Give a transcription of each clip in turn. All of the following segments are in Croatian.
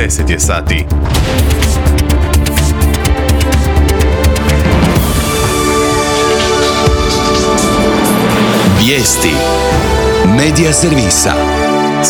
10 je sati. Vijesti Medija servisa.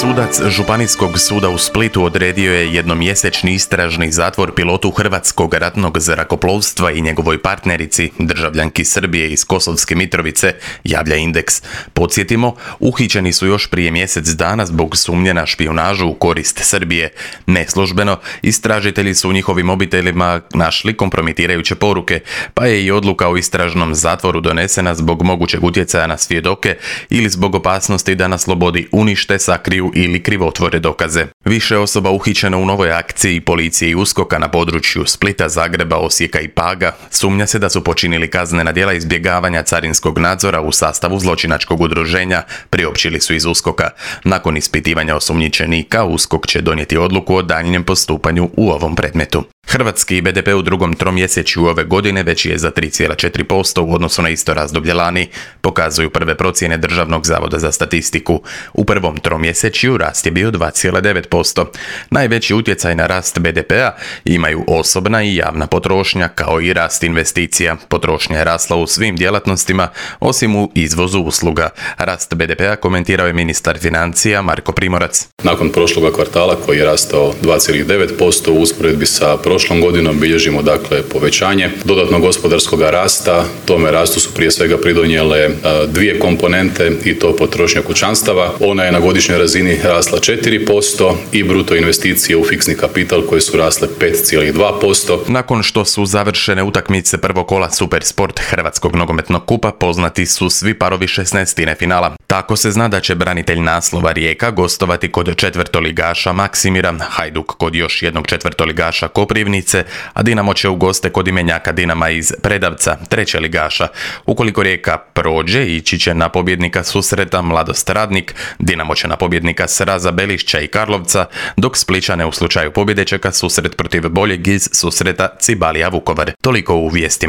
Sudac Županijskog suda u Splitu odredio je jednomjesečni istražni zatvor pilotu Hrvatskog ratnog zrakoplovstva i njegovoj partnerici, državljanki Srbije iz Kosovske Mitrovice, javlja Indeks. Podsjetimo, uhićeni su još prije mjesec dana zbog sumnje na špijunažu u korist Srbije. Neslužbeno, istražitelji su u njihovim mobitelima našli kompromitirajuće poruke, pa je i odluka o istražnom zatvoru donesena zbog mogućeg utjecaja na svjedoke ili zbog opasnosti da na slobodi unište, sakriju ili krivotvore dokaze. Više osoba uhićeno u novoj akciji policije i USKOK-a na području Splita, Zagreba, Osijeka i Paga. Sumnja se da su počinili kaznena djela izbjegavanja carinskog nadzora u sastavu zločinačkog udruženja, priopćili su iz USKOK-a. Nakon ispitivanja osumnjičenika, USKOK će donijeti odluku o daljnjem postupanju u ovom predmetu. Hrvatski BDP u drugom tromjesečju ove godine veći je za 3,4% u odnosu na isto razdoblje lani, pokazuju prve procjene Državnog zavoda za statistiku. U prvom tromjesečju rast je bio 2,9%. Najveći utjecaj na rast BDP-a imaju osobna i javna potrošnja, kao i rast investicija. Potrošnja je rasla u svim djelatnostima, osim u izvozu usluga. Rast BDP-a komentirao je ministar financija Marko Primorac. Nakon prošloga kvartala koji je rastao 2,9% u usporedbi sa prošlom godinom bilježimo dakle povećanje dodatnog gospodarskog rasta. Tome rastu su prije svega pridonijele dvije komponente i to potrošnja kućanstava. Ona je na godišnjoj razini rasla 4% i bruto investicije u fiksni kapital koje su rasle 5,2%. Nakon što su završene utakmice prvog kola Supersport Hrvatskog nogometnog kupa, poznati su svi parovi 16. finala. Tako se zna da će branitelj naslova Rijeka gostovati kod četvrtoligaša Maksimira, Hajduk kod još jednog četvrtoligaša Koprivnice, a Dinamo će u goste kod imenjaka Dinama iz Predavca, treće ligaša. Ukoliko Rijeka prođe, ići će na pobjednika susreta Mladost Radnik, Dinamo će na pobjednika Sraza Belišća i Karlovca, dok Splićane u slučaju pobjede čeka susret protiv boljeg iz susreta Cibalija Vukovar. Toliko u vijestima.